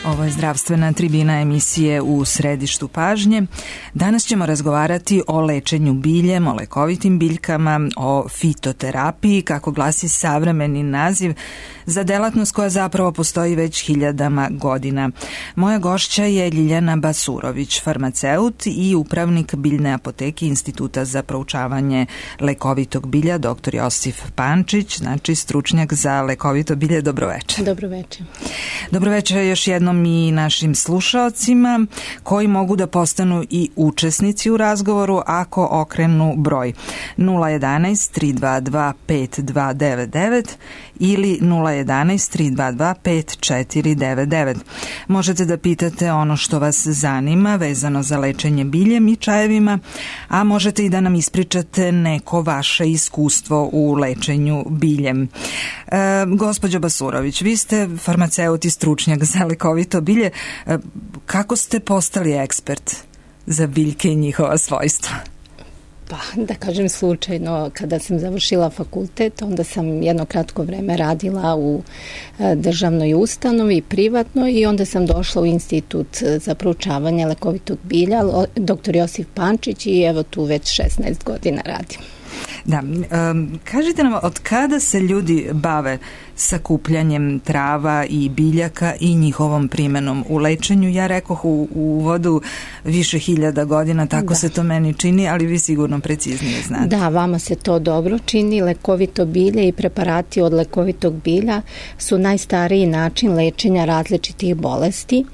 Ovo je zdravstvena tribina emisije U središtu pažnje. Danas ćemo razgovarati o lečenju biljem, o lekovitim biljkama, o fitoterapiji, kako glasi savremeni naziv za delatnost koja zapravo postoji već hiljadama godina. Moja gošća je Ljiljana Basurović, farmaceut i upravnik biljne apoteke Instituta za proučavanje lekovitog bilja, dr. Josif Pančić, znači stručnjak za lekovito bilje. Dobroveče. Dobroveče. Dobroveče još jednom i našim slušaocima koji mogu da postanu i učesnici u razgovoru ako okrenu broj 011 322 5299 ili 011 322 5499. Možete da pitate ono što vas zanima vezano za lečenje biljem i čajevima, a možete i da nam ispričate neko vaše iskustvo u lečenju biljem. Gospođo Basurović, vi ste farmaceut i stručnjak za lekovito bilje. Kako ste postali ekspert za biljke i njihova svojstva? Pa, da kažem slučajno, kada sam završila fakultet, onda sam jedno kratko vreme radila u državnoj ustanovi, privatno, i onda sam došla u Institut za proučavanje lekovitog bilja, dr. Josif Pančić, i evo tu već 16 godina radim. Da, kažite nam, od kada se ljudi bave sakupljanjem trava i biljaka i njihovom primenom u lečenju? Ja rekoh u uvodu više hiljada godina, tako se to meni čini, ali vi sigurno preciznije znate. Da, vama se to dobro čini. Lekovito bilje i preparati od lekovitog bilja su najstariji način lečenja različitih bolesti.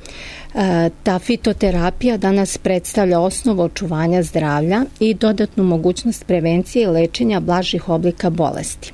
Ta fitoterapija danas predstavlja osnovu očuvanja zdravlja i dodatnu mogućnost prevencije i lečenja blažih oblika bolesti.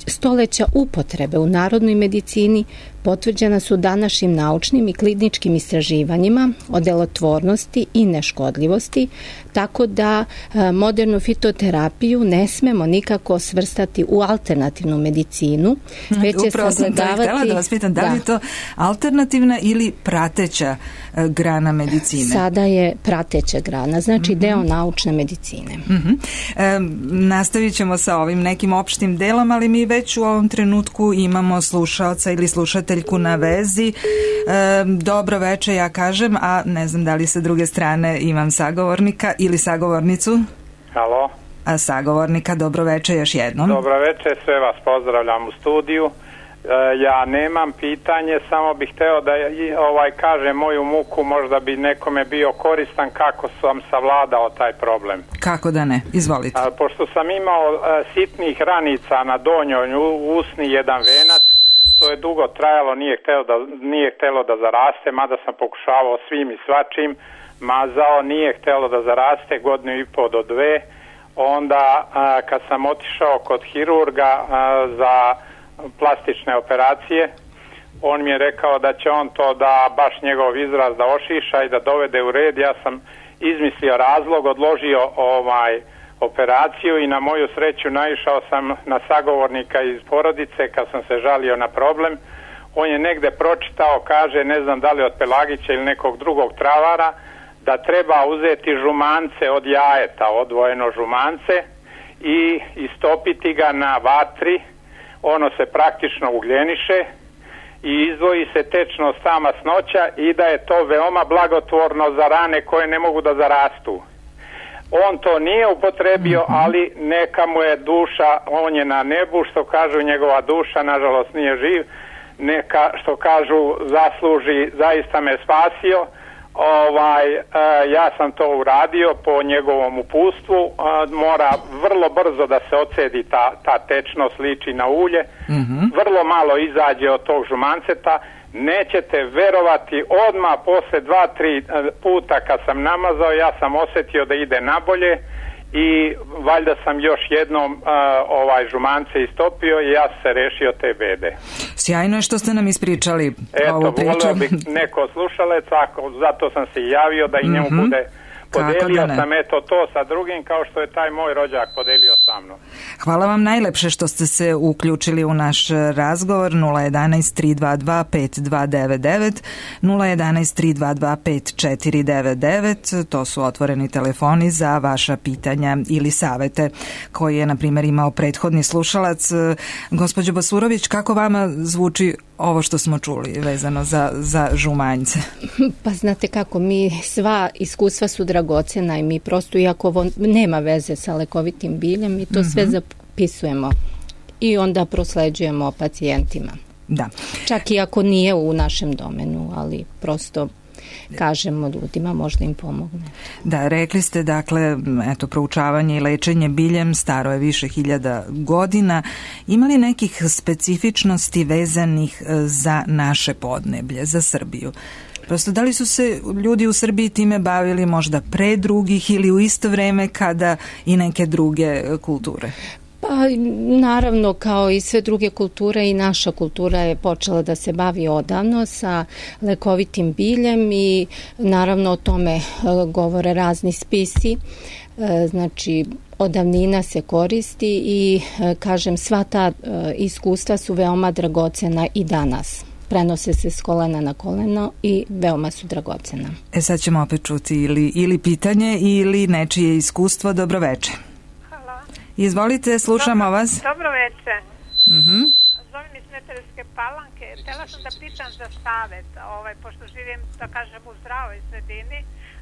Stoleća upotrebe u narodnoj medicini potvrđena su današnjim naučnim i kliničkim istraživanjima o delotvornosti i neškodljivosti, tako da modernu fitoterapiju ne smemo nikako svrstati u alternativnu medicinu, već je upravo sagledavati... Upravo sam htjela da vas pitam, da li je to alternativna ili prateća grana medicine? Sada je prateća grana, znači deo naučne medicine. Nastavit ćemo sa ovim nekim opštim delom, ali mi već u ovom trenutku imamo slušaoca ili slušateljku na vezi. Dobro veče, ja kažem, a ne znam da li sa druge strane imam sagovornika ili sagovornicu. Halo. A sagovornika, dobro veče još jednom. Dobro veče, sve vas pozdravljam u studiju. Ja nemam pitanje, samo bih hteo da kažem moju muku, možda bi nekome bio koristan kako sam savladao taj problem. Kako da ne, izvolite. Pošto sam imao sitnih ranica na donjoj usni, jedan venac, to je dugo trajalo, nije htelo da zaraste, mada sam pokušavao svim i svačim, mazao, nije htelo da zaraste, 1,5 godinu do 2. Onda kad sam otišao kod hirurga za plastične operacije, on mi je rekao da će on to da baš njegov izraz da ošiša i da dovede u red. Ja sam izmislio razlog, odložio operaciju i na moju sreću naišao sam na sagovornika iz porodice kad sam se žalio na problem. On je negde pročitao, kaže, ne znam da li od Pelagića ili nekog drugog travara, da treba uzeti žumance od jajeta, odvojeno žumance, i istopiti ga na vatri. Ono se praktično ugljeniše i izdvoji se tečnost ta masnoća i da je to veoma blagotvorno za rane koje ne mogu da zarastu. On to nije upotrebio, ali neka mu je duša, on je na nebu, što kažu, njegova duša nažalost nije živ, neka, što kažu, zasluži, zaista me spasio. Ja sam to uradio po njegovom uputstvu. Mora vrlo brzo da se ocedi ta tečnost, liči na ulje. Vrlo malo izađe od tog žumanceta. Nećete verovati, odmah posle 2-3 puta kad sam namazao, ja sam osjetio da ide nabolje i valjda sam još jednom žumance istopio i ja se rešio te bede. Sjajno je što ste nam ispričali ovu priču. Volio bih neko slušalec, zato sam se javio da i njemu bude Podelio sam to sa drugim kao što je taj moj rođak podelio sa mnom. Hvala vam najlepše što ste se uključili u naš razgovor. 011 322 5299 011 322 5499. To su otvoreni telefoni za vaša pitanja ili savete koje je, na primjer, imao prethodni slušalac. Gospođo Basurović, kako vama zvuči ovo što smo čuli vezano za žumanjce? Pa znate kako, sva iskustva su dragocena i mi prosto, iako ovo nema veze sa lekovitim biljem, mi to sve zapisujemo i onda prosleđujemo pacijentima. Da. Čak i ako nije u našem domenu, ali prosto kažemo ljudima, možda im pomogne. Da, rekli ste, dakle, eto, proučavanje i lečenje biljem staro je više hiljada godina. Ima li nekih specifičnosti vezanih za naše podneblje, za Srbiju? Prosto, da li su se ljudi u Srbiji time bavili možda pre drugih ili u isto vreme kada i neke druge kulture? Pa naravno, kao i sve druge kulture, i naša kultura je počela da se bavi odavno sa lekovitim biljem i naravno o tome govore razni spisi. Znači, od davnina se koristi i kažem, sva ta iskustva su veoma dragocena i danas. Prenose se s kolena na koleno i veoma su dragocena. Sad ćemo opet čuti ili pitanje ili nečije iskustvo. Dobroveče. Izvolite, slušamo vas. Dobro veče. Zovem iz Smederevske Palanke. Htela sam da pitam za savet, pošto živim, da kažem, u zdravoj sredini,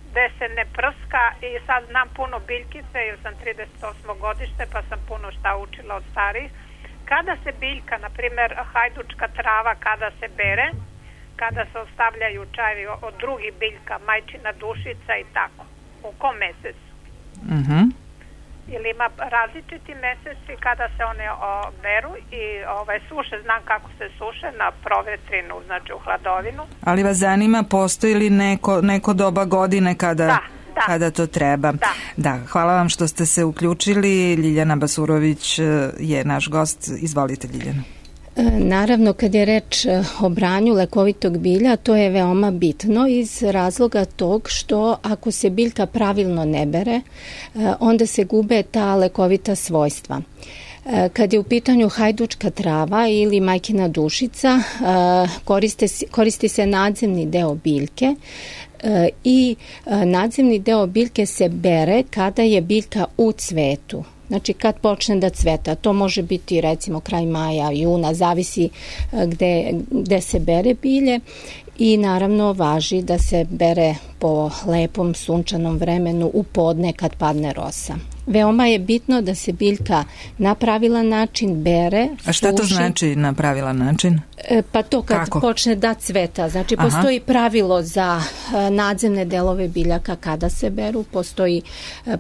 gde se ne prska i sad znam puno biljkice, jer sam 38. godište, pa sam puno šta učila od starih. Kada se biljka, na primjer hajdučka trava, kada se bere, kada se ostavljaju čajevi od drugih biljka, majčina dušica i tako, u kom mesecu? Ili ima različiti meseci kada se one beru i suše, znam kako se suše, na provetrinu, znači u hladovinu. Ali vas zanima, postoji li neko doba godine kada to treba? Da, hvala vam što ste se uključili. Ljiljana Basurović je naš gost. Izvolite, Ljiljana. Naravno, kad je reč o branju lekovitog bilja, to je veoma bitno iz razloga tog što ako se biljka pravilno ne bere, onda se gube ta lekovita svojstva. Kad je u pitanju hajdučka trava ili majkina dušica, koristi se nadzemni deo biljke i nadzemni deo biljke se bere kada je biljka u cvetu. Znači kad počne da cveta, to može biti recimo kraj maja, juna, zavisi gde se bere bilje i naravno važi da se bere po lepom sunčanom vremenu u podne kad padne rosa. Veoma je bitno da se biljka na pravilan način bere. A šta to znači na pravilan način? Pa to kad počne da cveta. Znači postoji pravilo za nadzemne delove biljaka kada se beru, postoji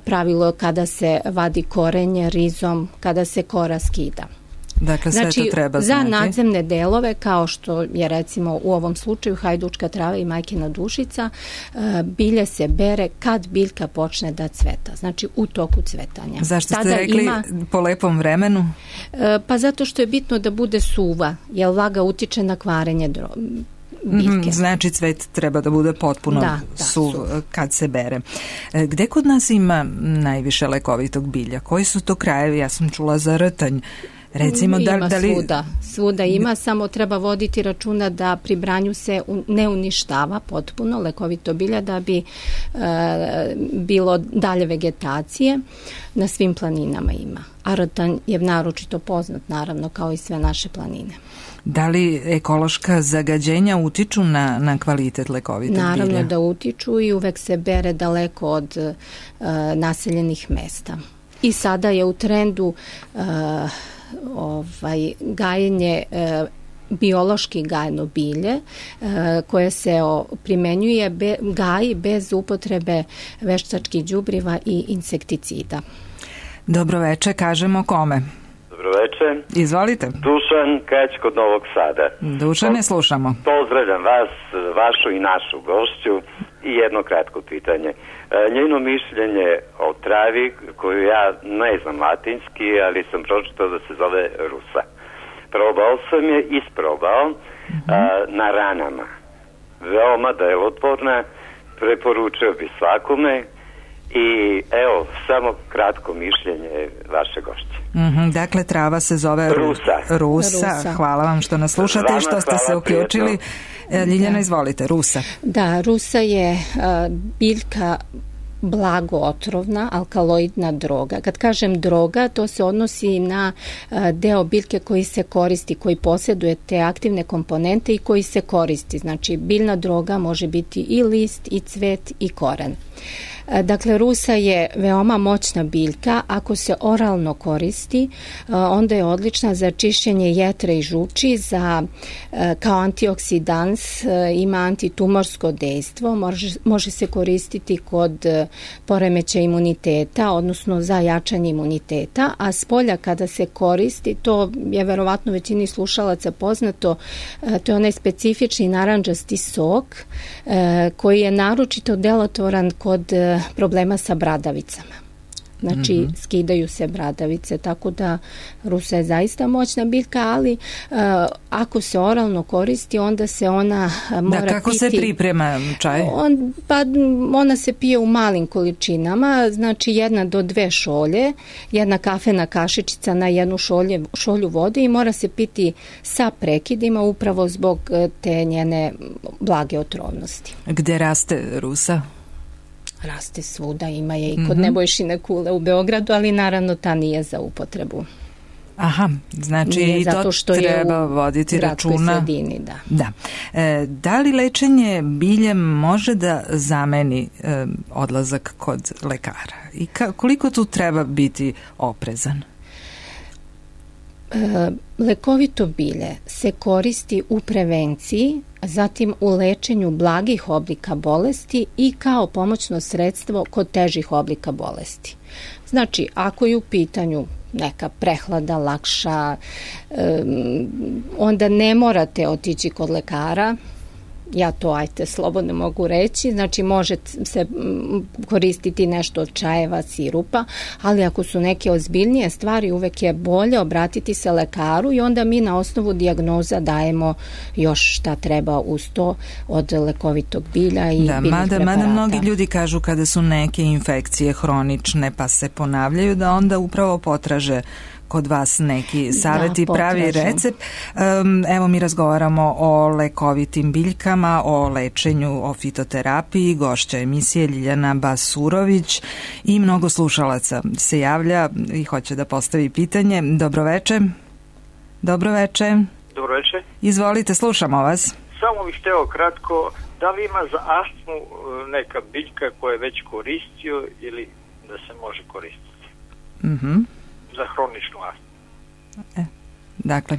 pravilo kada se vadi korenje, rizom, kada se kora skida. Dakle, sve to treba znati. Za nadzemne delove, kao što je recimo u ovom slučaju hajdučka trava i majkina dušica, bilje se bere kad biljka počne da cveta, znači u toku cvetanja. Zašto ste rekli po lepom vremenu? Pa zato što je bitno da bude suva, jer vlaga utiče na kvarenje biljke. Znači cvet treba da bude potpuno suv kad se bere. Gde kod nas ima najviše lekovitog bilja? Koji su to krajevi? Ja sam čula za Rtanj. Recimo, ima svuda ima, samo treba voditi računa da pri branju se ne uništava potpuno lekovito bilja da bi bilo dalje vegetacije. Na svim planinama ima. A Rtanj je naročito poznat, naravno, kao i sve naše planine. Da li ekološka zagađenja utiču na kvalitet lekovitog bilja? Naravno da utiču i uvek se bere daleko od naseljenih mesta. I sada je u trendu gajenje biološki gajeno bilje koje se primenjuje gaji bez upotrebe veštačkih đubriva i insekticida. Dobroveče, kažemo kome? Dobroveče. Izvolite. Dušan Kać kod Novog Sada. Dušane, slušamo. Pozdravljam vas, vašu i našu gošću i jedno kratko pitanje. Njeno mišljenje o travi koju ja ne znam latinski, ali sam pročitao da se zove rusa. Probao sam je, isprobao na ranama. Veoma delotvorna, preporučio bi svakome i evo, samo kratko mišljenje vaše gošće. Dakle, trava se zove Rusa. Hvala vam što nas slušate i što ste se uključili. Ljiljana, izvolite, Rusa. Da, Rusa je biljka blago otrovna alkaloidna droga. Kad kažem droga, to se odnosi na deo biljke koji se koristi, koji posjeduje te aktivne komponente i koji se koristi. Znači, biljna droga može biti i list, i cvet, i koren. Dakle, rusa je veoma moćna biljka. Ako se oralno koristi, onda je odlična za čišćenje jetre i žuči, kao antioksidans, ima antitumorsko dejstvo, može se koristiti kod poremećaja imuniteta, odnosno za jačanje imuniteta, a spolja kada se koristi, to je verovatno većini slušalaca poznato, to je onaj specifični narandžasti sok koji je naročito delotvoran kod problema sa bradavicama. Znači, skidaju se bradavice, tako da rusa je zaista moćna biljka, ali ako se oralno koristi, onda se ona mora piti. Kako se priprema čaj? Ona se pije u malim količinama, znači 1 do 2 šolje, 1 kafena kašičica na 1 šolju vode i mora se piti sa prekidima upravo zbog te njene blage otrovnosti. Gde raste rusa? Raste svuda, ima je i kod Nebojšine kule u Beogradu, ali naravno ta nije za upotrebu. Aha, znači i to treba voditi računa. Sredini, da. Da li lečenje biljem može da zameni odlazak kod lekara? I koliko tu treba biti oprezan? Lekovito bilje se koristi u prevenciji, zatim u lečenju blagih oblika bolesti i kao pomoćno sredstvo kod težih oblika bolesti. Znači, ako je u pitanju neka prehlada lakša, onda ne morate otići kod lekara, ja to slobodno mogu reći, znači može se koristiti nešto od čajeva, sirupa, ali ako su neke ozbiljnije stvari, uvek je bolje obratiti se lekaru i onda mi na osnovu dijagnoza dajemo još šta treba uz to od lekovitog bilja i biljnih preparata. Mada mnogi ljudi kažu kada su neke infekcije hronične pa se ponavljaju, da onda upravo potraže kod vas neki savjet i pravi recept. Evo, mi razgovaramo o lekovitim biljkama, o lečenju, o fitoterapiji. Gošća emisije Ljiljana Basurović i mnogo slušalaca se javlja i hoće da postavi pitanje. Dobroveče. Dobroveče. Dobroveče. Izvolite, slušamo vas. Samo bih hteo kratko, da li ima za astmu neka biljka koja je već koristio ili da se može koristiti? Za hroničnu astmu. Dakle,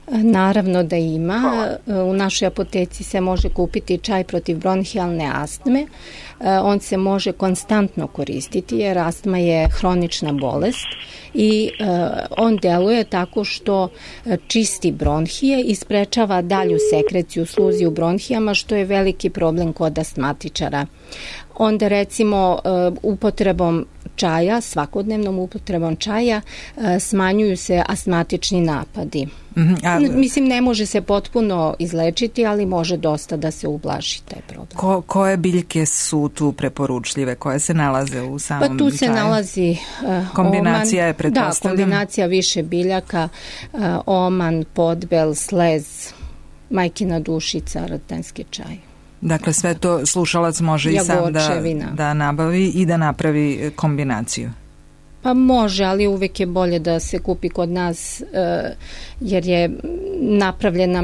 naravno da ima. Hvala. U našoj apoteci se može kupiti čaj protiv bronhijalne astme. On se može konstantno koristiti jer astma je hronična bolest i on deluje tako što čisti bronhije i sprečava dalju sekreciju sluzi u bronhijama, što je veliki problem kod astmatičara. Onda recimo upotrebom čaja, svakodnevnom upotrebom čaja smanjuju se astmatični napadi. Mislim, ne može se potpuno izlečiti, ali može dosta da se ublaži taj problem. Koje biljke su tu preporučljive, koje se nalaze u samom čaju? Pa tu se nalazi kombinacija je pretpostavljam. Da, kombinacija više biljaka, oman, podbel, slez, majkina dušica, rtenski čaj. Dakle, sve to slušalac može i sam da nabavi i da napravi kombinaciju. Pa može, ali uvek je bolje da se kupi kod nas jer je napravljena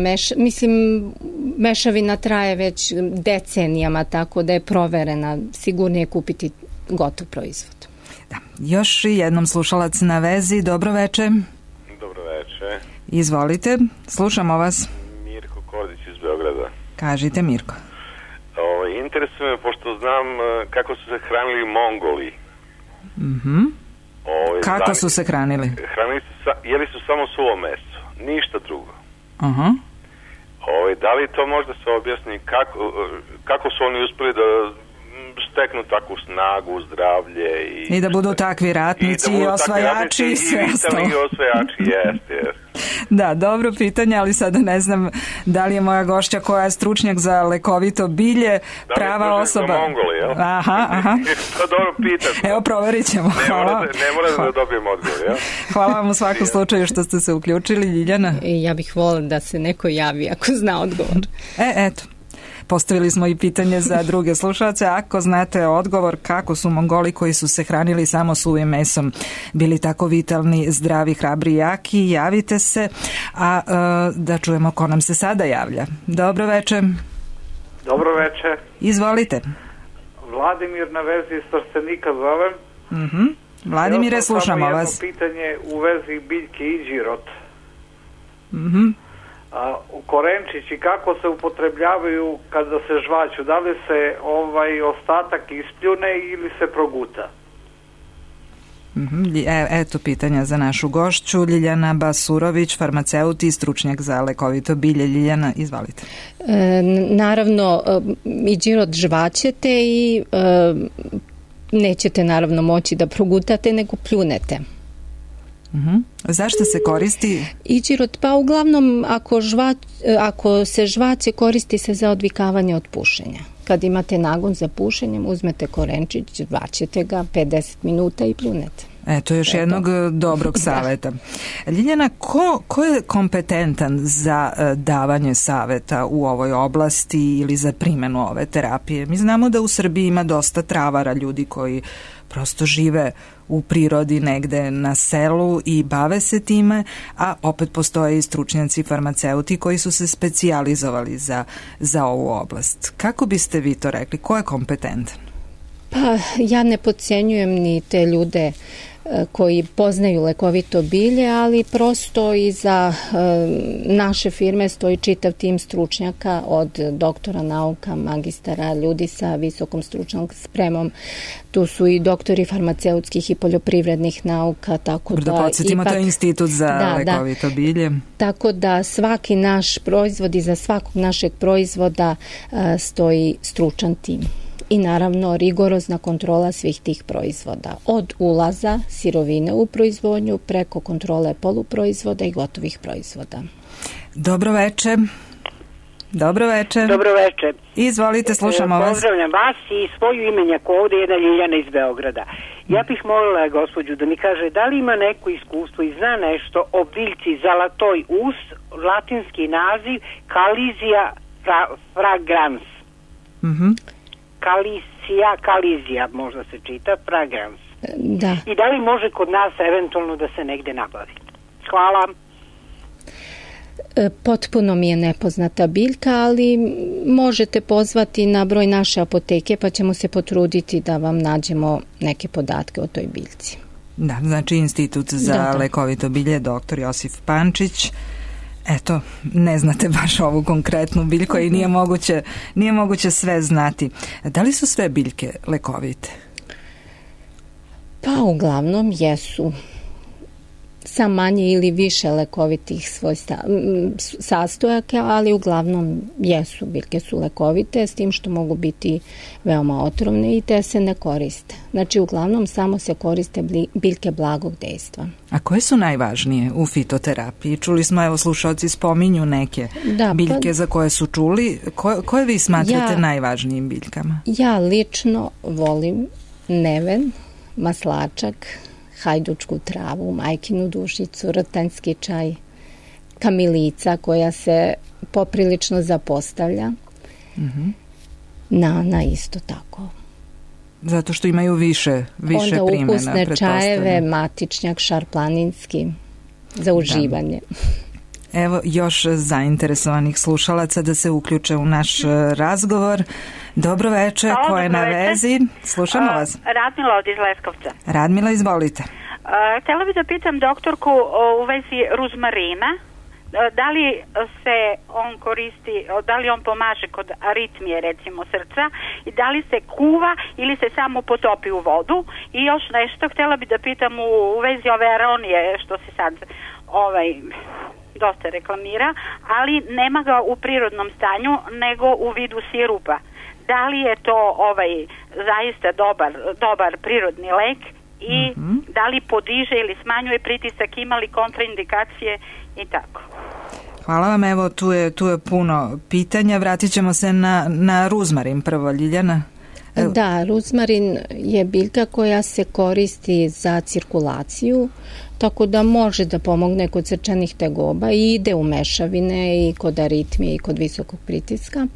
mešavina traje već decenijama, tako da je proverena. Sigurnije kupiti gotov proizvod. Da. Još jednom slušalac na vezi. Dobroveče. Dobroveče. Izvolite, slušamo vas. Mirko Kordić iz Beograda. Kažite, Mirko. Interesuje me, pošto znam kako su se hranili Mongoli. Kako su se hranili? Jeli su samo suvo meso, ništa drugo. Da li to možda se objasni kako su oni uspeli da steknu takvu snagu, zdravlje i da budu takvi ratnici i osvajači i sve ostalo. I osvajači, jeste. Da, dobro pitanje, ali sada ne znam da li je moja gošća koja je stručnjak za lekovito bilje prava osoba. Da li je Mongoli, jel? Aha. To dobro pitate. Evo, proverit ćemo. Ne mora da dobijem odgovor, jel? Hvala vam u svakom slučaju što ste se uključili, Ljiljana. Ja bih volila da se neko javi ako zna odgovor. Eto. postavili smo i pitanje za druge slušalce. Ako znate odgovor kako su Mongoli koji su se hranili samo suvim mesom bili tako vitalni, zdravi, hrabri i jaki, javite se, a da čujemo ko nam se sada javlja. Dobro večer. Dobro večer. Izvolite. Vladimir na vezi iz Trstenika zovem. Vladimire, slušamo vas. Samo jedno pitanje u vezi biljke iđirot. Korenčići kako se upotrebljavaju kada se žvaću? Da li se ostatak ispljune ili se proguta? Eto pitanja za našu gošću. Ljiljana Basurović, farmaceut i stručnjak za lekovito bilje. Ljiljana, izvalite. Naravno, iđirot žvaćete i nećete naravno moći da progutate, nego pljunete. Zašto se koristi? Iđirot, pa uglavnom ako se žvaće, koristi se za odvikavanje od pušenja. Kad imate nagon za pušenjem, uzmete korenčić, žvaćete ga 50 minuta i pljunete. Eto još jednog dobrog saveta. Ljiljana, ko je kompetentan za davanje saveta u ovoj oblasti ili za primjenu ove terapije? Mi znamo da u Srbiji ima dosta travara, ljudi koji prosto žive u prirodi negde na selu i bave se time, a opet postoje i stručnjaci farmaceuti koji su se specijalizovali za ovu oblast. Kako biste vi to rekli? Ko je kompetentan? Pa ja ne podcjenjujem ni te ljude koji poznaju lekovito bilje, ali prosto iza naše firme stoji čitav tim stručnjaka od doktora nauka, magistara, ljudi sa visokom stručnom spremom. Tu su i doktori farmaceutskih i poljoprivrednih nauka, tako da podsjetimo, to je institut za lekovito bilje. Tako da svaki naš proizvod i za svakog našeg proizvoda stoji stručan tim. I naravno rigorozna kontrola svih tih proizvoda. Od ulaza sirovine u proizvodnju preko kontrole poluproizvoda i gotovih proizvoda. Dobro večer. Dobro večer. Dobro večer. Izvolite, slušamo vas. Pozdravljam vas i svoju imenjaku. Ovdje je jedna Ljiljana iz Beograda. Ja bih molila gospođu da mi kaže da li ima neko iskustvo i zna nešto o biljci Zalatoj us, latinski naziv Calizia fragrans. Calizia, možda se čita, fragrans. Da. I da li može kod nas eventualno da se negde nabavi? Hvala. Potpuno mi je nepoznata biljka, ali možete pozvati na broj naše apoteke pa ćemo se potruditi da vam nađemo neke podatke o toj biljci. Da, znači Institut za lekovito bilje, doktor Josif Pančić. Eto, ne znate baš ovu konkretnu biljku i nije moguće sve znati. Da li su sve biljke lekovite? Pa uglavnom jesu. Sa manje ili više lekovitih sastojaka, ali uglavnom jesu, biljke su lekovite, s tim što mogu biti veoma otrovne i te se ne koriste. Znači uglavnom samo se koriste biljke blagog dejstva. A koje su najvažnije u fitoterapiji? Čuli smo, evo slušalci spominju neke biljke za koje su čuli. Koje vi smatrate najvažnijim biljkama? Ja lično volim neven, maslačak, hajdučku travu, majkinu dušicu, rtanjski čaj, kamilica koja se poprilično zapostavlja, nana isto tako. Zato što imaju više primjena. Onda ukusne čajeve, matičnjak, šarplaninski, za uživanje. Evo još zainteresovanih slušalaca da se uključe u naš razgovor. Dobro večer, ko je na vezi? Slušamo vas. Radmila od iz Leskovca. Radmila, izvolite. Htjela bih da pitam doktorku u vezi ruzmarina. Da li se on koristi, da li on pomaže kod aritmije recimo srca i da li se kuva ili se samo potopi u vodu? I još nešto, htjela bih da pitam u vezi ove aronije što se sad dosta reklamira, ali nema ga u prirodnom stanju nego u vidu sirupa. Da li je to zaista dobar prirodni lek i da li podiže ili smanjuje pritisak, ima li kontraindikacije i tako. Hvala vam, evo tu je puno pitanja. Vratit ćemo se na ruzmarin prvo, Ljiljana. Da, ruzmarin je biljka koja se koristi za cirkulaciju, tako da može da pomogne kod srčanih tegoba i ide u mešavine i kod aritmije i kod visokog pritiska.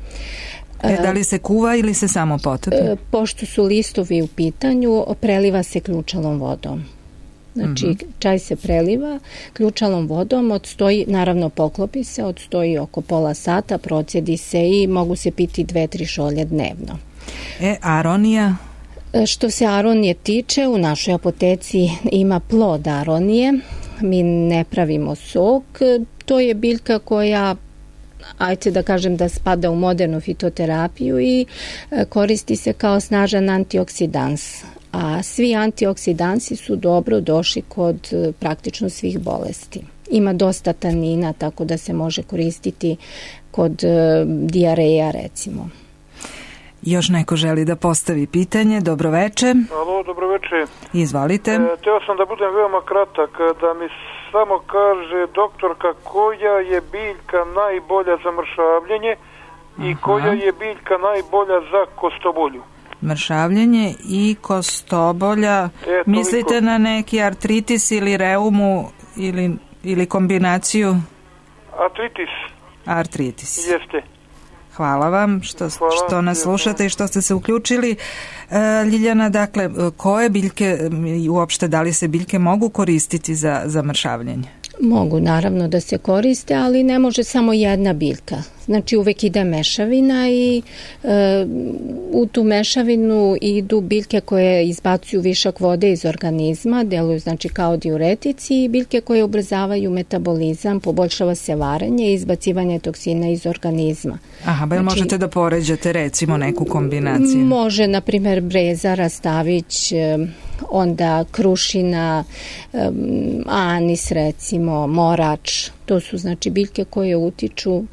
Da li se kuva ili se samo potopi? Pošto su listovi u pitanju, preliva se ključalom vodom. Znači, čaj se preliva ključalom vodom, odstoji, naravno poklopi se, odstoji oko pola sata, procjedi se i mogu se piti 2-3 šolje dnevno. Aronija? Što se aronije tiče, u našoj apoteci ima plod aronije, mi ne pravimo sok, to je biljka koja, ajde da kažem da spada u modernu fitoterapiju i koristi se kao snažan antioksidans. A svi antioksidansi su dobro došli kod praktično svih bolesti. Ima dosta tanina, tako da se može koristiti kod dijareja, recimo. Još neko želi da postavi pitanje. Dobroveče. Alo, dobroveče. Izvolite. Teo sam da budem veoma kratak, da mi samo kaže doktorka koja je biljka najbolja za mršavljenje i koja je biljka najbolja za kostobolju. Mršavljenje i kostobolja. Mislite na neki artritis ili reumu ili kombinaciju? Artritis. Jeste. Hvala vam što nas slušate i što ste se uključili. Ljiljana, dakle, koje biljke i uopšte da li se biljke mogu koristiti za mršavljenje? Mogu naravno da se koriste, ali ne može samo jedna biljka. Znači uvek ide mešavina i u tu mešavinu idu biljke koje izbacuju višak vode iz organizma, deluju znači kao diuretici i biljke koje ubrzavaju metabolizam, poboljšava se varenje i izbacivanje toksina iz organizma. Aha, znači, možete da poređate recimo neku kombinaciju? Može, na primjer, breza, rastavić, onda krušina, anis recimo, morač, to su znači biljke koje utiču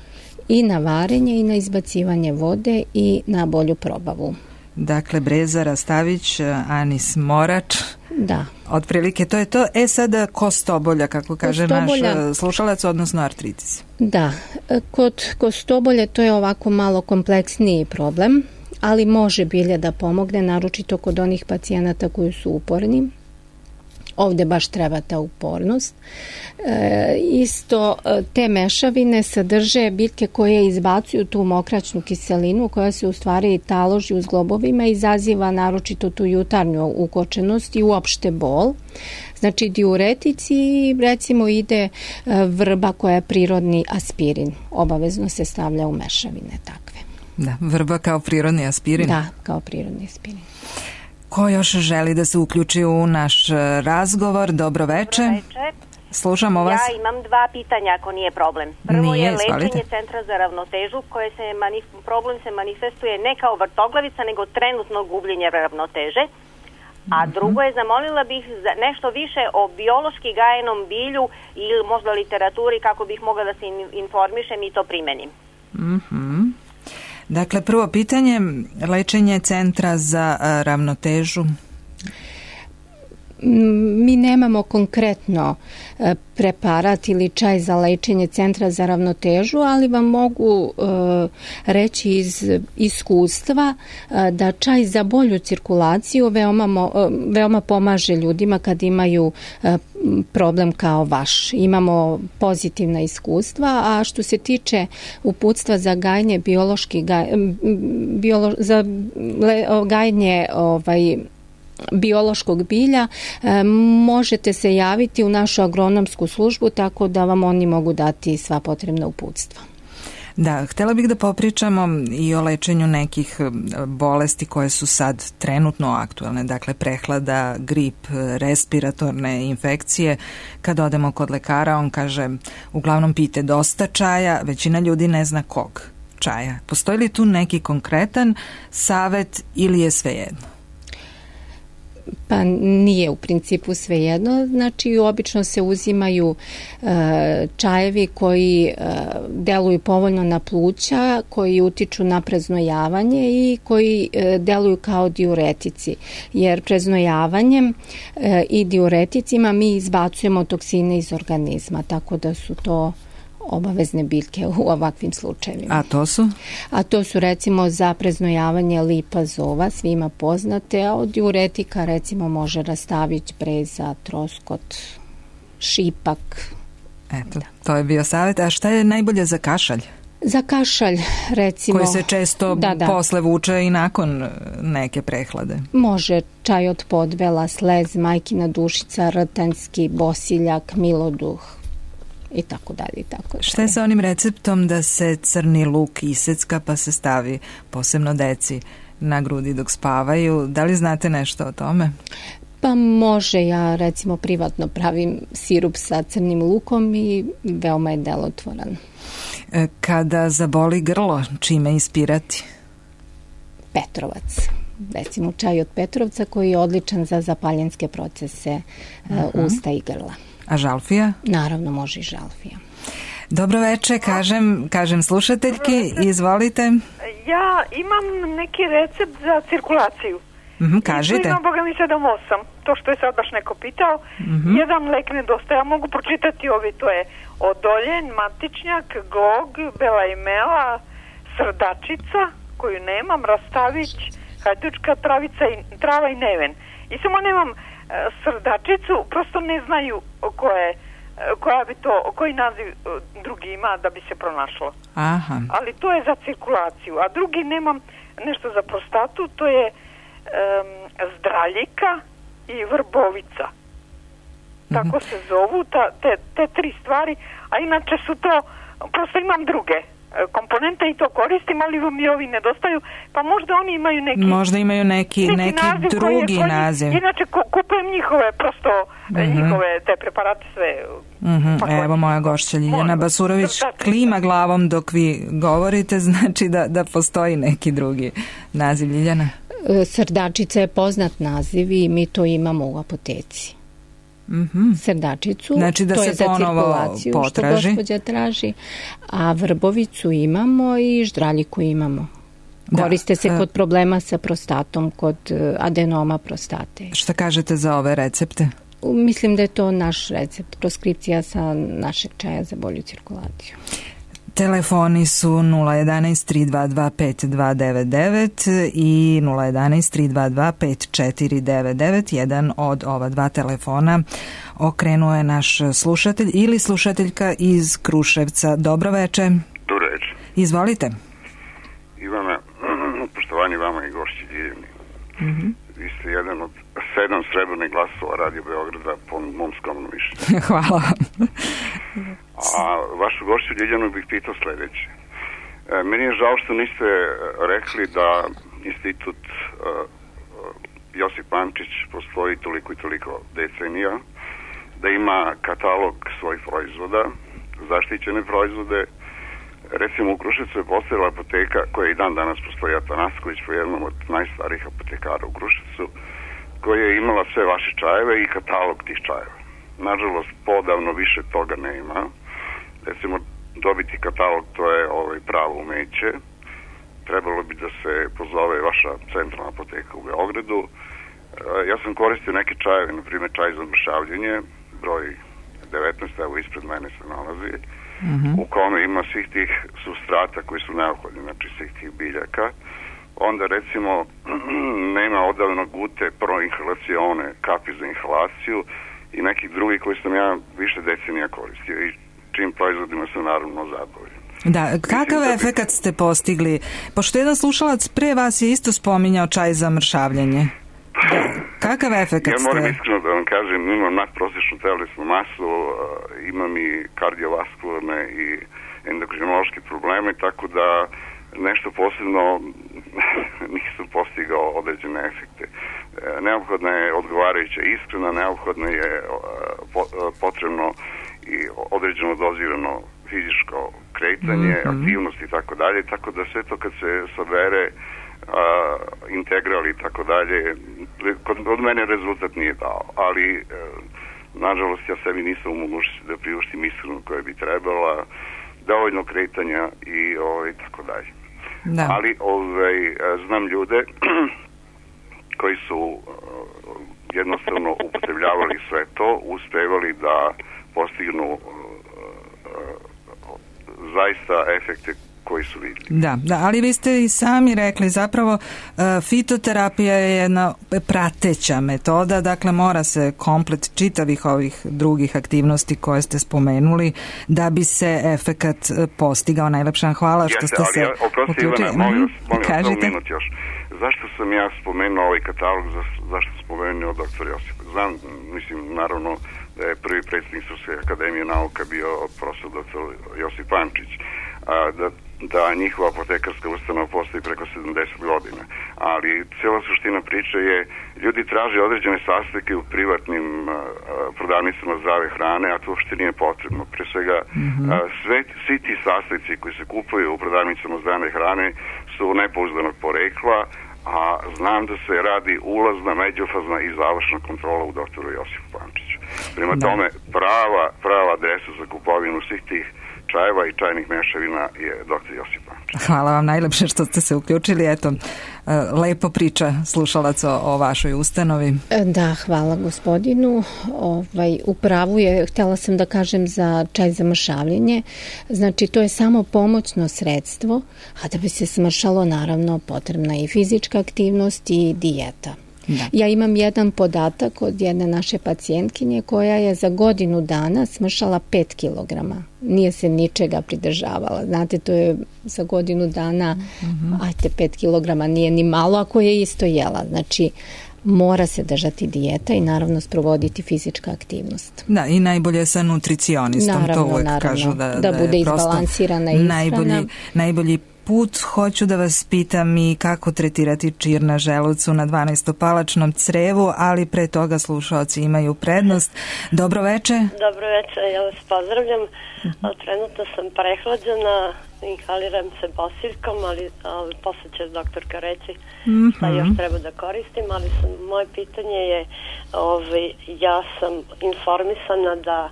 i na varenje i na izbacivanje vode i na bolju probavu. Dakle, breza, rastavić, anis, morač. Da. Otprilike to je to. Sada kostobolja, kako kaže naš slušalac, odnosno artritis. Da, kod kostobolje to je ovako malo kompleksniji problem, ali može bilje da pomogne, naročito kod onih pacijenata koji su uporni. Ovde baš treba ta upornost. Isto te mešavine sadrže biljke koje izbacuju tu mokraćnu kiselinu koja se u stvari taloži u zglobovima i izaziva naročito tu jutarnju ukočenost i uopšte bol. Znači diuretici, recimo ide vrba koja je prirodni aspirin. Obavezno se stavlja u mešavine takve. Da, vrba kao prirodni aspirin? Da, kao prirodni aspirin. Ko još želi da se uključi u naš razgovor? Dobroveče. Slušamo vas. Ja imam 2 pitanja ako nije problem. Prvo je lečenje centra za ravnotežu koje problem se manifestuje ne kao vrtoglavica nego trenutno gubljenje ravnoteže. A drugo je, zamolila bih nešto više o biološki gajenom bilju ili možda literaturi kako bih mogla da se informišem i to primenim. Dakle, prvo pitanje, lečenje centra za ravnotežu. Mi nemamo konkretno preparat ili čaj za lečenje centra za ravnotežu, ali vam mogu reći iz iskustva da čaj za bolju cirkulaciju veoma pomaže ljudima kad imaju problem kao vaš. Imamo pozitivna iskustva, a što se tiče uputstva za gajenje biološkog bilja, možete se javiti u našu agronomsku službu, tako da vam oni mogu dati sva potrebna uputstva. Da, htjela bih da popričamo i o lečenju nekih bolesti koje su sad trenutno aktualne, dakle prehlada, grip, respiratorne infekcije. Kad odemo kod lekara, on kaže, uglavnom pijte dosta čaja, većina ljudi ne zna kog čaja. Postoji li tu neki konkretan savet ili je svejedno? Pa nije u principu svejedno, znači obično se uzimaju čajevi koji deluju povoljno na pluća, koji utiču na preznojavanje i koji deluju kao diuretici, jer preznojavanjem i diureticima mi izbacujemo toksine iz organizma, tako da su to obavezne biljke u ovakvim slučajevima. A to su? A to su recimo za preznojavanje lipazova, svima poznate, a od diuretika recimo može rastavić, breza, troskot, šipak. Eto, to je bio savjet. A šta je najbolje za kašalj? Za kašalj, recimo. Koji se često posle vuče i nakon neke prehlade. Može čaj od podbela, slez, majkina dušica, rtanjski, bosiljak, miloduh i tako dalje. Šta je sa onim receptom da se crni luk isecka pa se stavi posebno deci na grudi dok spavaju? Da li znate nešto o tome? Pa može, ja recimo privatno pravim sirup sa crnim lukom i veoma je delotvoran. Kada zaboli grlo, čime ispirati? Petrovac. Recimo čaj od Petrovca koji je odličan za zapaljenske procese usta i grla. A žalfija? Naravno, može i žalfija. Dobro veče, kažem slušateljki, izvolite. Ja imam neki recept za cirkulaciju. Kažite. Imam, Boga mi 7-8, to što je sad baš neko pitao. Jedan lek nedostaje, ja mogu pročitati ovi, to je odoljen, matičnjak, gog, bela imela, srdačica, koju nemam, rastavić, hajdučka travica i trava i neven. I samo nemam srdačicu, prosto ne znaju koja bi to, koji naziv drugi ima da bi se pronašlo. Aha. Ali to je za cirkulaciju, a drugi nemam nešto za prostatu, to je zdraljika i vrbovica. Tako se zovu te tri stvari, a inače su to, prosto imam druge komponente i to koristim, ali mi ovi nedostaju, pa možda oni imaju neki... Možda imaju neki drugi naziv. Inače kupujem njihove, prosto njihove te preparate sve. Evo moja gošća Ljiljana Basurović klima glavom dok vi govorite, znači da postoji neki drugi naziv. Ljiljana? Srdačica je poznat naziv i mi to imamo u apoteci. Srdačicu, znači da to se je za cirkulaciju potraži. Što gospođa traži, a vrbovicu imamo i ždraljiku imamo. Koriste se kod problema sa prostatom, kod adenoma prostate. Šta kažete za ove recepte? Mislim da je to naš recept, proskripcija sa našeg čaja za bolju cirkulaciju. Telefoni su 011-322-5299 i 011-322-5499. Jedan od ova dva telefona okrenuo je naš slušatelj ili slušateljka iz Kruševca. Dobro veče. Dobro veče. Izvolite. Ivana, poštovanje vama i gošći Ljiljani. Vi ste jedan od 7 srebrnih glasova Radio Beograda po mom skromnom mišljenju. Hvala. A vašu gošću Ljiljanu bih pitao sledeće. Meni je žao što niste rekli da institut Josip Pančić postoji toliko i toliko decenija, da ima katalog svojih proizvoda, zaštićene proizvode. Recimo u Kruševcu je postojala apoteka koja i dan danas postoji, Atanasković, po jednom od najstarijih apotekara u Kruševcu, koja je imala sve vaše čajeve i katalog tih čajeva. Nažalost, podavno više toga nema. Recimo, dobiti katalog, to je pravo umeće. Trebalo bi da se pozove vaša centralna apoteka u Beogradu. Ja sam koristio neke čajeve, na primjer čaj za mršavljenje, broj 19, evo ispred mene se nalazi, u kome ima svih tih substrata koji su neophodni, znači svih tih biljaka. Onda recimo nema odavno gute proinhalacione, kapi za inhalaciju i nekih drugih koji sam ja više decenija koristio i čim proizvodima sam naravno zadovoljan. Da, kakav efekat ste postigli? Pošto jedan slušalac pre vas je isto spominjao čaj za mršavljenje. Kakav efekat ste? Ja moram iskreno da vam kažem, imam nadprosječnu telesnu masu, imam i kardiovaskularne i endokrinološke probleme, tako da nešto posebno nisam postigao određene efekte. Neophodna je odgovarajuća ishrana, neophodno je potrebno i određeno dozirano fizičko kretanje, aktivnost i tako dalje, tako da sve to kad se sabere integrali i tako dalje, kod mene rezultat nije dao, ali nažalost ja sebi nisam u mogućnosti da priuštim ishranu koja bi trebala, dovoljno kretanja i tako dalje. Da. Ali znam ljude koji su jednostavno upotrebljavali sve to, uspevali da postignu zaista efekte koji su vidljivi. Da, ali vi ste i sami rekli, zapravo fitoterapija je jedna prateća metoda, dakle mora se komplet čitavih ovih drugih aktivnosti koje ste spomenuli da bi se efekat postigao. Najlepša hvala što ste se uključili. Molim vas, minut još. Zašto sam ja spomenuo ovaj katalog, zašto sam spomenuo doktor Josipa? Znam, mislim, naravno da je prvi predsjednik Srpske akademije nauka bio profesor doktor Josip Pančić, da njihova apotekarska ustanova postoji preko 70 godina. Ali cijela suština priče je, ljudi traže određene sastojke u privatnim prodavnicama zdrave hrane, a to uopšte nije potrebno. Pre svega, svi ti sastojci koji se kupuju u prodavnicama zdrave hrane su nepouzdanog porekla, a znam da se radi ulazna, međufazna i završna kontrola u doktoru Josipu Pančiću. Prema tome, prava adresa za kupovinu svih tih čajeva i čajnih mešavina je dr. Josip Pančić. Hvala vam najlepše što ste se uključili. Eto, lepo priča slušalac o vašoj ustanovi. Da, hvala gospodinu. Upravo je, htjela sam da kažem za čaj za mršavljenje. Znači, to je samo pomoćno sredstvo, a da bi se smršalo, naravno, potrebna i fizička aktivnost i dijeta. Da. Ja imam jedan podatak od jedne naše pacijentkinje koja je za godinu dana smršala 5 kilograma. Nije se ničega pridržavala. Znate, to je za godinu dana, 5 kilograma nije ni malo ako je isto jela. Znači, mora se držati dijeta i naravno sprovoditi fizička aktivnost. Da, i najbolje sa nutricionistom. Naravno, to uvek kažu da bude izbalansirana ishrana. Najbolji put. Hoću da vas pitam i kako tretirati čir na želucu na 12-palačnom crevu, ali pre toga slušaoci imaju prednost. Dobro veče. Dobro veče, ja vas pozdravljam. Trenutno sam prehlađena, inhaliram se bosiljkom, ali posle će doktorka reći šta još treba da koristim, ali moje pitanje je, ja sam informisana da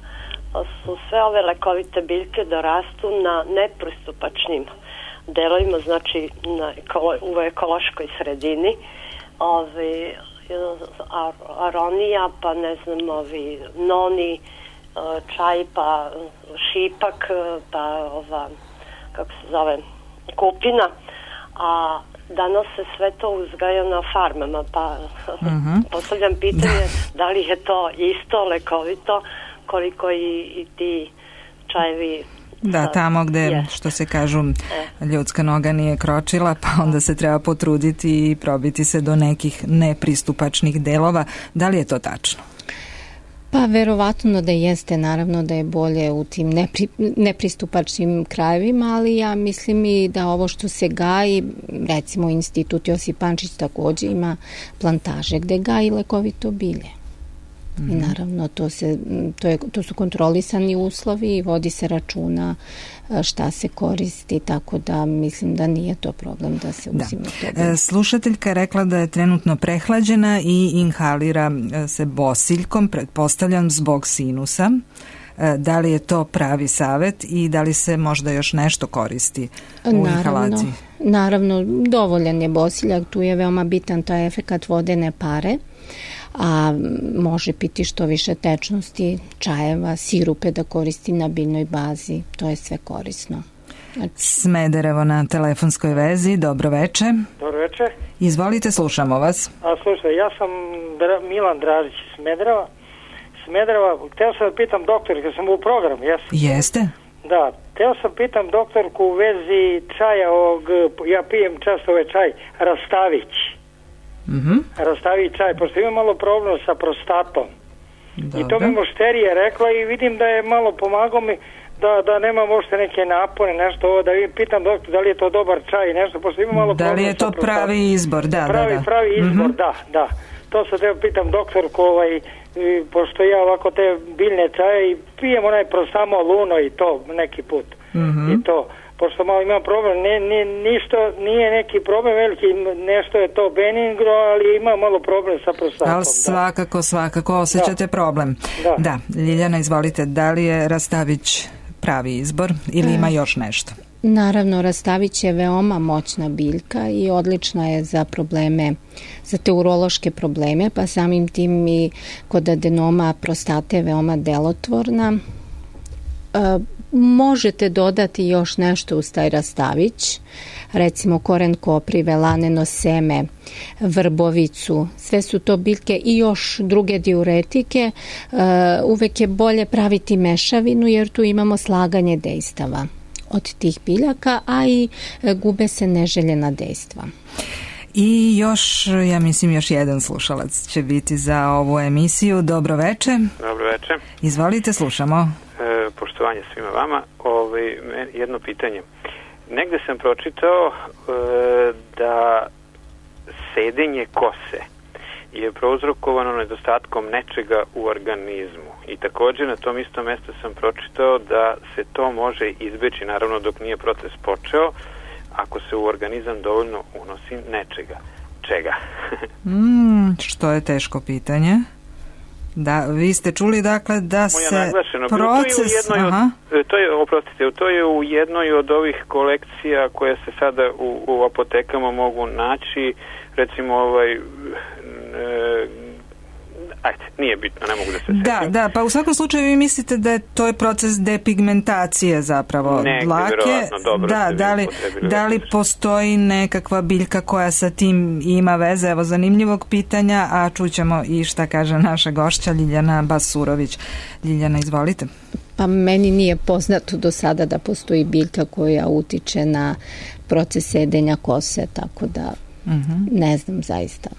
su sve ove lekovite biljke dorastu na nepristupačnim delovima, znači u ekološkoj sredini, aronija, pa ne znam, noni, čaj, pa šipak, pa kako se zove, kupina, a danas se sve to uzgaja na farmama, pa postavljam pitanje da li je to isto lekovito koliko i ti čajevi. Da, tamo gde, što se kažu, ljudska noga nije kročila, pa onda se treba potruditi i probiti se do nekih nepristupačnih delova. Da li je to tačno? Pa verovatno da jeste, naravno da je bolje u tim nepristupačnim krajevima, ali ja mislim i da ovo što se gaji, recimo Institut Josip Pančić takođe ima plantaže gde gaji lekovito bilje. I naravno to su kontrolisani uslovi i vodi se računa šta se koristi, tako da mislim da nije to problem da se uzima to. Slušateljka je rekla da je trenutno prehlađena i inhalira se bosiljkom, pretpostavljam zbog sinusa. Da li je to pravi savet i da li se možda još nešto koristi u inhalaciji? Naravno, dovoljan je bosiljak, tu je veoma bitan taj efekat vodene pare, a može piti što više tečnosti, čajeva, sirupe da koristi na biljnoj bazi, to je sve korisno. Smederevo na telefonskoj vezi, dobro veče. Dobro veče. Izvolite, slušamo vas. Slušaj, ja sam Milan Dražić iz Smedereva, hteo sam da pitam doktor, kad sam u programu, Jeste? Da, hteo sam pitam doktorku u vezi čaja ja pijem često čaj, Rastavić. Rastavi čaj, pošto imam malo problem sa prostatom. I to mi mušterija rekla i vidim da je malo pomagao mi da nemam uopšte neke napone, nešto ovo, da pitam doktor da li je to dobar čaj, nešto, pošto imam malo problem sa prostatom. Da li je to pravi izbor, Pravi izbor, da. To sad treba pitam doktorku, pošto ja ovako te biljne čaje i pijem onaj prostamol Luno i to neki put. I to. Pošto malo imam problem, nije neki problem veliki, nešto je to benigno, ali ima malo problem sa prostatom. Ali svakako osjećate problem. Da, Ljiljana, izvolite, da li je Rastavić pravi izbor ili ima još nešto? Naravno, Rastavić je veoma moćna biljka i odlična je za probleme, za te urološke probleme, pa samim tim i kod adenoma prostate je veoma delotvorna. Možete dodati još nešto uz taj rastavić, recimo koren koprive, laneno seme, vrbovicu, sve su to biljke i još druge diuretike. Uvek je bolje praviti mešavinu jer tu imamo slaganje dejstava od tih biljaka, a i gube se neželjena dejstva. I još, ja mislim, još jedan slušalac će biti za ovu emisiju. Dobro veče. Dobro veče. Izvolite, slušamo. Poštovanje svima vama. Jedno pitanje. Negde sam pročitao da sedenje kose je prouzrokovano nedostatkom nečega u organizmu. I također na tom istom mjestu sam pročitao da se to može izbeći, naravno dok nije proces počeo, ako se u organizam dovoljno unosi nečega. Čega? Što je teško pitanje. Da, vi ste čuli dakle da se proces... To je u jednoj od ovih kolekcija koje se sada u apotekama mogu naći, recimo nije bitno, ne mogu da se sjećam. Da, pa u svakom slučaju vi mislite da to je proces depigmentacije zapravo dlake. Da li postoji nekakva biljka koja sa tim ima veze? Evo zanimljivog pitanja, a čućemo i šta kaže naša gošća Ljiljana Basurović. Ljiljana, izvolite. Pa meni nije poznato do sada da postoji biljka koja utiče na proces sedenja kose, tako da ne znam zaista.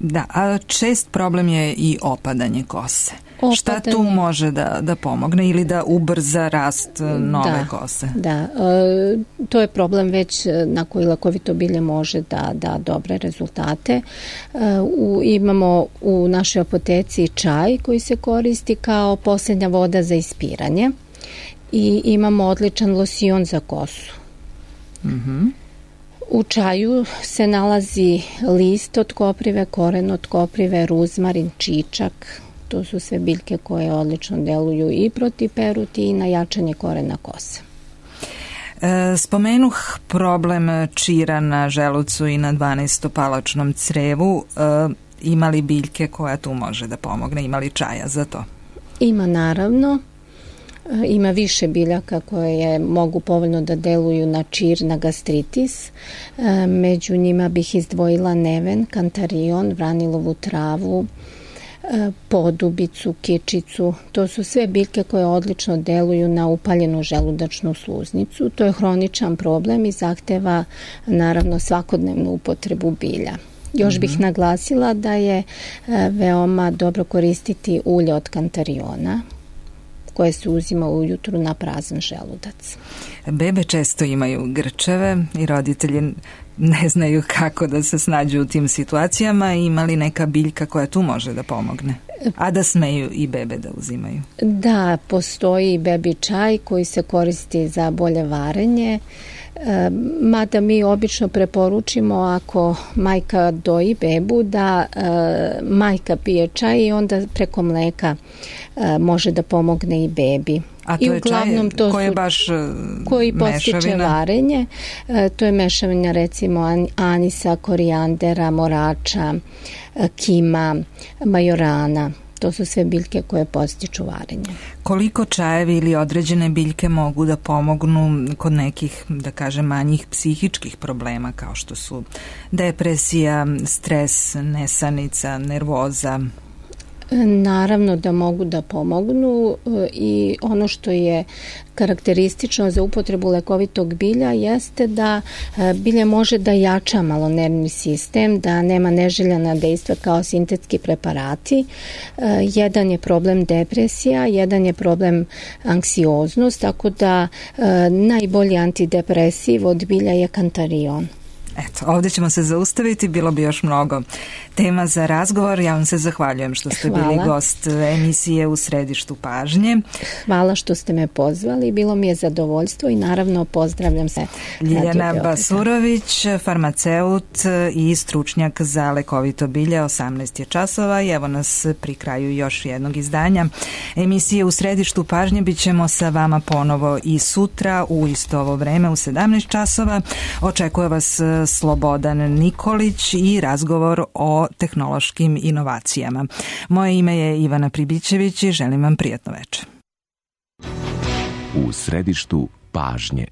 Da, a čest problem je i opadanje kose. Šta tu može da pomogne ili da ubrza rast nove kose? Da, to je problem već na koji lekovito bilje može da da dobre rezultate. Imamo u našoj apoteci čaj koji se koristi kao posljednja voda za ispiranje i imamo odličan losion za kosu. U čaju se nalazi list od koprive, koren od koprive, ruzmarin, čičak. To su sve biljke koje odlično deluju i protiv peruti i na jačanje korena kose. Spomenuh problem čira na želucu i na 12-palačnom crevu. Ima li biljke koja tu može da pomogne? Ima li čaja za to? Ima naravno. Ima više biljaka koje mogu povoljno da deluju na čir, na gastritis. Među njima bih izdvojila neven, kantarion, vranilovu travu, podobicu, kičicu. To su sve biljke koje odlično deluju na upaljenu želudačnu sluznicu. To je hroničan problem i zahteva naravno svakodnevnu upotrebu bilja. Još bih naglasila da je veoma dobro koristiti ulje od kantariona koje se uzima ujutru na prazan želudac. Bebe često imaju grčeve i roditelji ne znaju kako da se snađu u tim situacijama. Ima li neka biljka koja tu može da pomogne? A da smeju i bebe da uzimaju? Da, postoji bebi čaj koji se koristi za bolje varenje. Mada mi obično preporučimo ako majka doji bebu da majka pije čaj i onda preko mleka može da pomogne i bebi. A to je čaj koji je baš koji postiče varenje. To je mešavina recimo anisa, korijandera, morača, kima, majorana. To su sve biljke koje postiču varenje. Koliko čajevi ili određene biljke mogu da pomognu kod nekih, da kažem, manjih psihičkih problema kao što su depresija, stres, nesanica, nervoza? Naravno da mogu da pomognu i ono što je karakteristično za upotrebu lekovitog bilja jeste da bilje može da jača malo nervni sistem, da nema neželjena dejstva kao sintetski preparati. Jedan je problem depresija, jedan je problem anksioznost, tako da najbolji antidepresiv od bilja je kantarion. Eto, ovdje ćemo se zaustaviti, bilo bi još mnogo tema za razgovor. Ja vam se zahvaljujem što ste bili gost emisije U središtu pažnje. Hvala što ste me pozvali, bilo mi je zadovoljstvo i naravno pozdravljam se. Ljiljana Basurović, farmaceut i stručnjak za lekovito bilje, 18 je časova i evo nas pri kraju još jednog izdanja emisije U središtu pažnje. Bit ćemo sa vama ponovo i sutra u isto ovo vreme u 17 časova. Očekuje vas Slobodan Nikolić i razgovor o tehnološkim inovacijama. Moje ime je Ivana Pribićević i želim vam prijatno večer. u središtu pažnje.